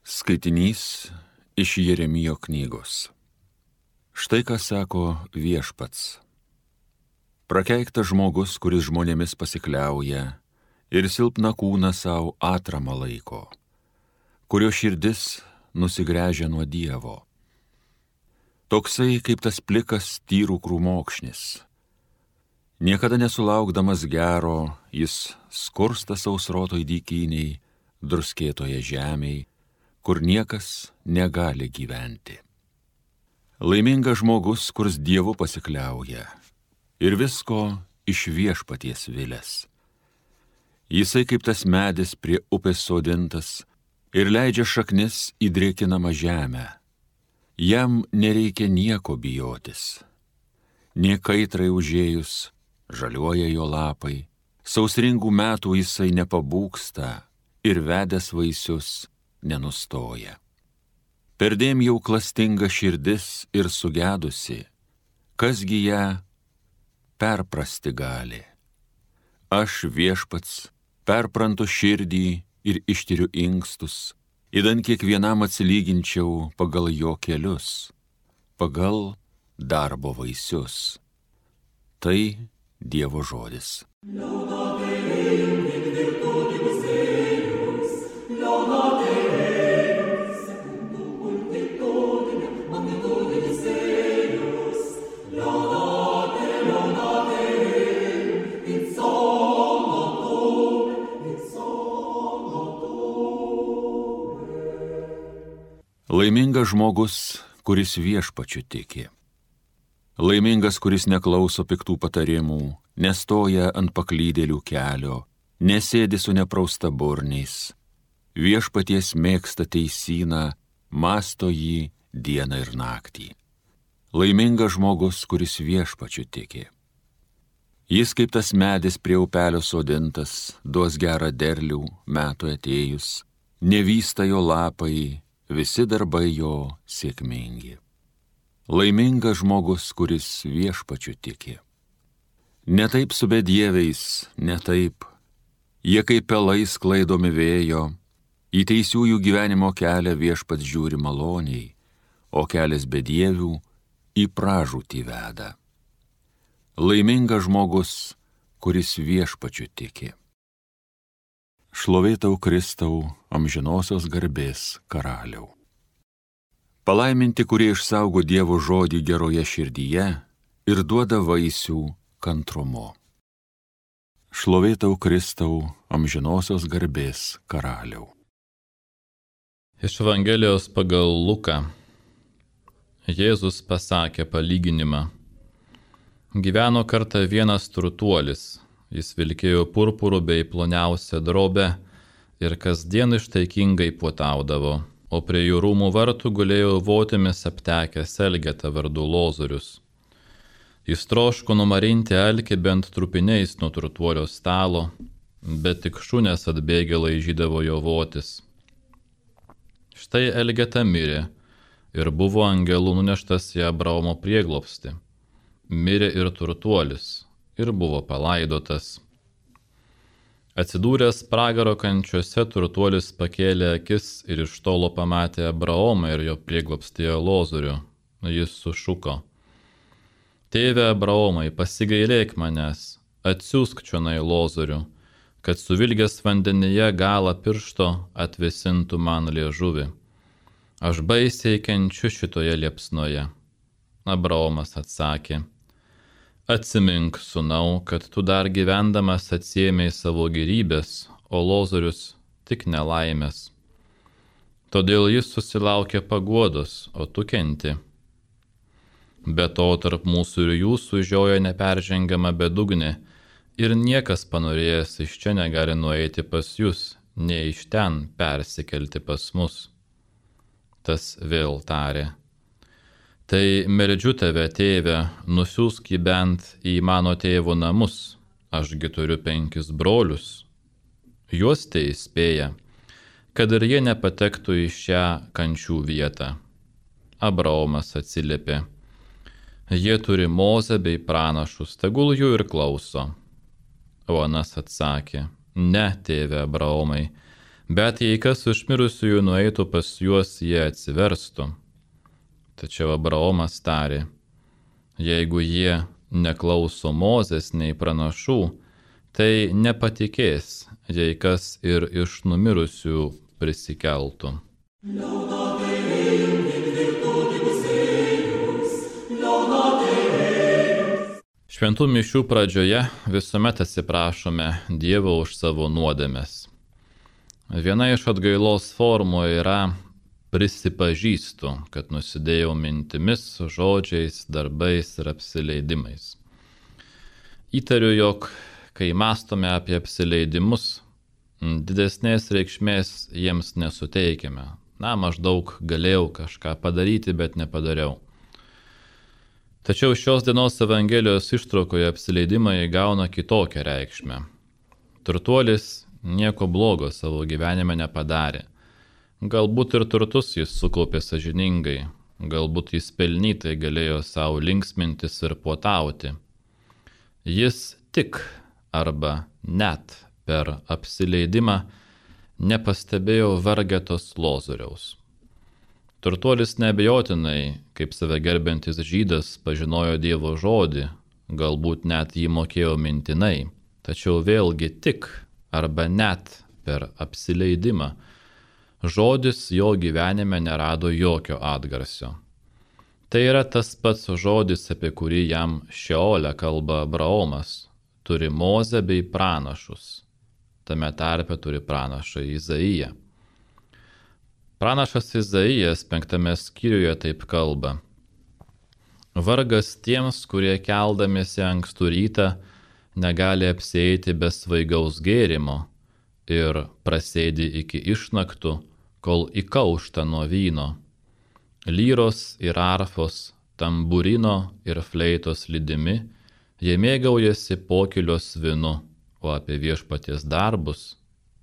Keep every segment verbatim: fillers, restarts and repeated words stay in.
Skaitinys iš Jeremijo knygos. Štai ką sako Viešpats. Prakeiktas žmogus, kuris žmonėmis pasikliauja ir silpną kūną savo atramą laiko, kurio širdis nusigręžia nuo Dievo. Toksai kaip tas plikas tyrų krūmokšnis. Niekada nesulaukdamas gero, jis skursta sausrotoj dykyniai, druskėtoje žemėj, kur niekas negali gyventi. Laimingas žmogus, kurs Dievu pasikliauja ir visko iš Viešpaties vilės. Jisai kaip tas medis prie upės sodintas ir leidžia šaknis į drėkinamą žemę. Jam nereikia nieko bijotis. Nė kaitrai užėjus, žaliuoja jo lapai, sausringų metų jisai nepabūgsta ir vedęs vaisius nenustoja. Perdėm jau klastinga širdis ir sugedusi, kasgi ją perprasti gali. Aš Viešpats perprantu širdį ir ištiriu inkstus, idant kiekvienam atsilyginčiau pagal jo kelius, pagal darbo vaisius. Tai Dievo žodis. Laimingas žmogus, kuris Viešpačiu tiki. Laimingas, kuris neklauso piktų patarimų, nestoja ant paklydėlių kelio, nesėdi su neprausta burniais. Viešpaties mėgsta teisyną, mąsto jį dieną ir naktį. Laimingas žmogus, kuris Viešpačiu tiki. Jis kaip tas medis prie upelio sodintas, duos gerą derlių metų atėjus, nevysta jo lapai, visi darbai jo sėkmingi. Laimingas žmogus, kuris Viešpačiu tiki. Ne taip su bedieviais, ne taip. Jie kaip pelai sklaidomi vėjo, į teisiųjų gyvenimo kelią Viešpats žiūri maloniai, o kelias bedievių į pražūtį veda. Laimingas žmogus, kuris Viešpačiu tiki. Šlovė tau, Kristau, amžinosios garbės karaliau. Palaiminti, kurie išsaugo Dievo žodį geroje širdyje ir duoda vaisių kantrumu. Šlovė tau, Kristau, amžinosios garbės karaliau. Iš Evangelijos pagal Luką Jėzus pasakė palyginimą. Gyveno kartą vienas turtuolis. Jis vilkėjo purpurų bei ploniausią drobę ir kasdien ištaikingai puotaudavo, o prie jų rūmų vartų gulėjo votimis aptekęs Elgeta vardu Lozorius. Jis troško numarinti alkį bent trupiniais nuo turtuolio stalo, bet tik šunės atbėgę laižydavo jo votis. Štai Elgeta mirė ir buvo angelų nuneštas į Abraomo prieglobstį. Mirė ir turtuolis ir buvo palaidotas. Atsidūręs pragaro kančiuose, turtuolis pakėlė akis ir iš tolo pamatė Abraomą ir jo prieglobstyje Lozorių. Jis sušuko: Tėve Abraomai, pasigailėk manęs, atsiųsk čionai Lozorių, kad suvilgęs vandenyje galą piršto atvėsintų man liežuvį. Aš baisiai kenčiu šitoje liepsnoje. Abraomas atsakė: Atsimink, sūnau, kad tu dar gyvendamas atsiėmei savo gėrybės, o Lozorius tik nelaimės. Todėl jis susilaukė paguodos, o tu kenti. Be to, tarp mūsų ir jūsų žioja neperžengiama bedugnė, ir niekas panorėjęs iš čia negali nueiti pas jūs, nei iš ten persikelti pas mus. Tas vėl tarė: Tai meldžiu tave, tėve, nusiųsk jį bent į mano tėvo namus, ašgi turiu penkis brolius. Juos tai įspėja, kad ir jie nepatektų į šią kančių vietą. Abraomas atsiliepė: Jie turi Mozę bei pranašus, tegul jų ir klauso. O anas atsakė: Ne, tėve Abraomai, Bet jei kas iš mirusiųjų nueitų pas juos, jie atsiverstų. Tačiau Abraomas tarė, jeigu jie neklauso Mozės nei pranašų, tai nepatikės, jei kas ir iš numirusių prisikeltų. Šventų mišių pradžioje visuomet atsiprašome Dievo už savo nuodėmes. Viena iš atgailos formų yra prisipažįstu, kad nusidėjau mintimis, žodžiais, darbais ir apsileidimais. Įtariu, jog kai mąstome apie apsileidimus, didesnės reikšmės jiems nesuteikiame. Na, maždaug galėjau kažką padaryti, bet nepadariau. Tačiau šios dienos Evangelijos ištraukoje apsileidimai įgauna kitokią reikšmę. Turtuolis nieko blogo savo gyvenime nepadarė. Galbūt ir turtus jis sukaupė sąžiningai, galbūt jis pelnytai galėjo savo linksmintis ir puotauti. Jis tik arba net per apsileidimą nepastebėjo vargetos Lozoriaus. Turtuolis neabejotinai, kaip save gerbiantis žydas, pažinojo Dievo žodį, galbūt net jį mokėjo mintinai, tačiau vėlgi tik arba net per apsileidimą žodis jo gyvenime nerado jokio atgarsio. Tai yra tas pats žodis, apie kurį jam Šeole kalba Abraomas, turi Mozę bei pranašus. Tame tarpe turi pranašą Izaiją. Pranašas Izaijas penktame skyriuje taip kalba. Vargas tiems, kurie keldamiesi ankstų rytą negali apsieiti be svaigaus gėrimo ir prasėdi iki išnaktų, kol įkaušta nuo vyno. Lyros ir arfos, tamburino ir fleitos lydimi, jie mėgaujasi pokylios vynu, o apie viešpaties darbus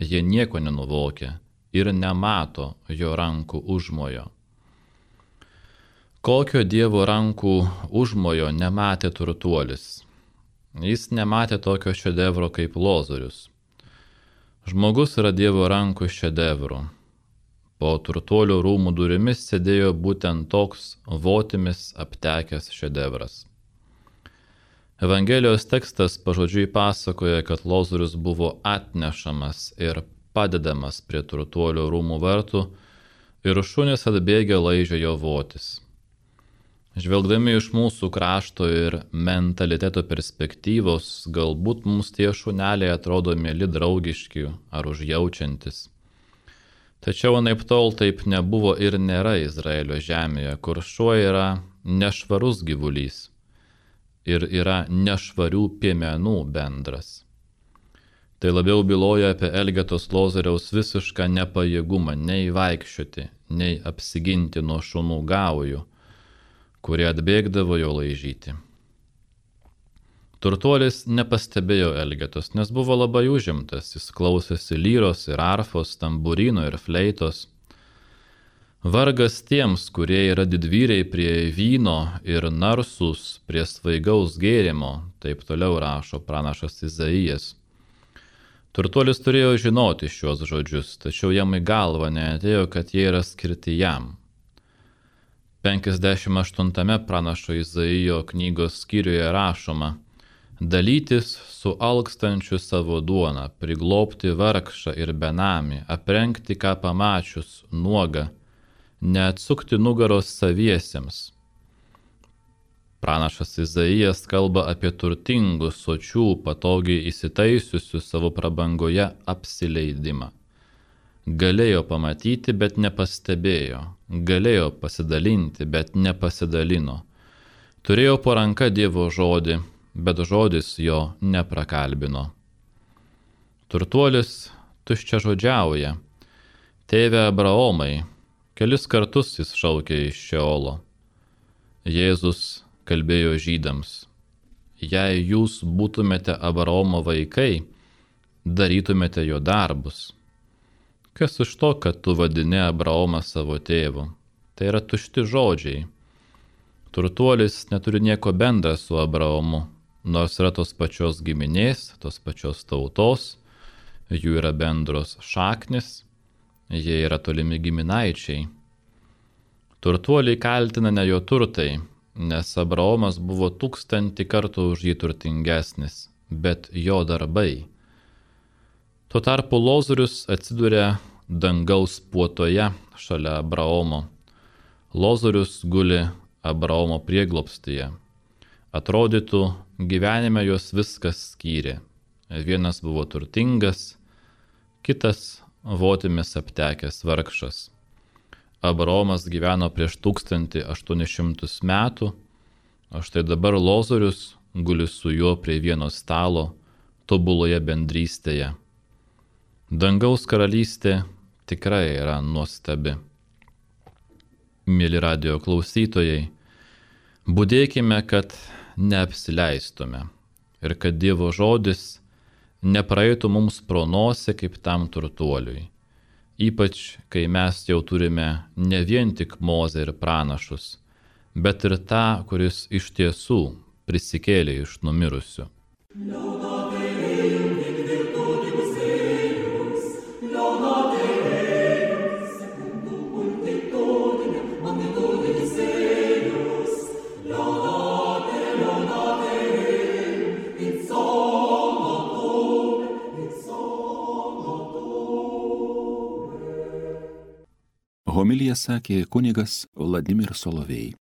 jie nieko nenuvokia ir nemato jo rankų užmojo. Kokio Dievo rankų užmojo nematė turtuolis. Jis nematė tokio šedevro kaip Lozorius. Žmogus yra Dievo rankų šedevrų. Po turtuolio rūmų durimis sėdėjo būtent toks votimis aptekęs šedevras. Evangelijos tekstas pažodžiui pasakoja, kad Lozorius buvo atnešamas ir padedamas prie turtuolio rūmų vartų ir šunys atbėgę laižė jo votis. Žvelgdami iš mūsų krašto ir mentaliteto perspektyvos, galbūt mums tie šuneliai atrodo mieli, draugiški ar užjaučiantis. Tačiau anaiptol taip nebuvo ir nėra Izraelio žemėje, kur šuo yra nešvarus gyvulys ir yra nešvarių piemenų bendras. Tai labiau byloja apie Elgetos Lozoriaus visišką nepajėgumą nei vaikščioti, nei apsiginti nuo šunų gaujų, kurie atbėgdavo jo laižyti. Turtuolis nepastebėjo Elgetos, nes buvo labai užimtas, jis klausėsi lyros ir arfos, tamburino ir fleitos. Vargas tiems, kurie yra didvyriai prie vyno ir narsūs prie svaigaus gėrimo, taip toliau rašo pranašas Izaijas. Turtuolis turėjo žinoti šios žodžius, tačiau jam į galvą neatėjo, kad jie yra skirti jam. penkiasdešimt aštuntame pranašo Izaijo knygos skyriuje rašoma: dalytis su alkstančiu savo duoną, priglobti vargšą ir benamį, aprengti ką pamačius nuogą, neatsukti nugaros saviesiems. Pranašas Izaijas kalba apie turtingus, sočių, patogiai įsitaisiusių savo prabangoje apsileidimą. Galėjo pamatyti, bet nepastebėjo. Galėjo pasidalinti, bet nepasidalino. Turėjo po ranka Dievo žodį, bet žodis jo neprakalbino. Turtuolis tuščiažodžiauja. Tėve Abraomai, kelis kartus jis šaukė iš Šeolo. Jėzus kalbėjo žydams: jei jūs būtumėte Abraomo vaikai, darytumėte jo darbus. Kas iš to, kad tu vadini Abraomą savo tėvu? Tai yra tušti žodžiai. Turtuolis neturi nieko bendra su Abraomu, nors yra tos pačios giminės, tos pačios tautos jų yra bendros šaknis, jie yra tolimi giminaičiai. Turtuoliai kaltina ne jo turtai, nes Abraomas buvo tūkstantį kartų už jį turtingesnis, bet jo darbai. Tuo tarpu Lozorius atsiduria dangaus puotoje šalia Abraomo. Lozorius guli Abraomo prieglobstyje. Atrodytų, gyvenime jos viskas skyrė. Vienas buvo turtingas, kitas votimis aptekęs vargšas. Abraomas gyveno prieš tūkstantį aštuonis šimtus metų, o štai dabar Lozorius guli su juo prie vieno stalo, tobuloje bendrystėje. Dangaus karalystė tikrai yra nuostabi. Mėly radijo klausytojai, budėkime, kad neapsileistume ir kad Dievo žodis nepraeitų mums pro nosį kaip tam turtuoliui. Ypač, kai mes jau turime ne vien tik Mozę ir pranašus, bet ir tą, kuris iš tiesų prisikėlė iš numirusių. Homiliją sakė kunigas Vladimir Solovej.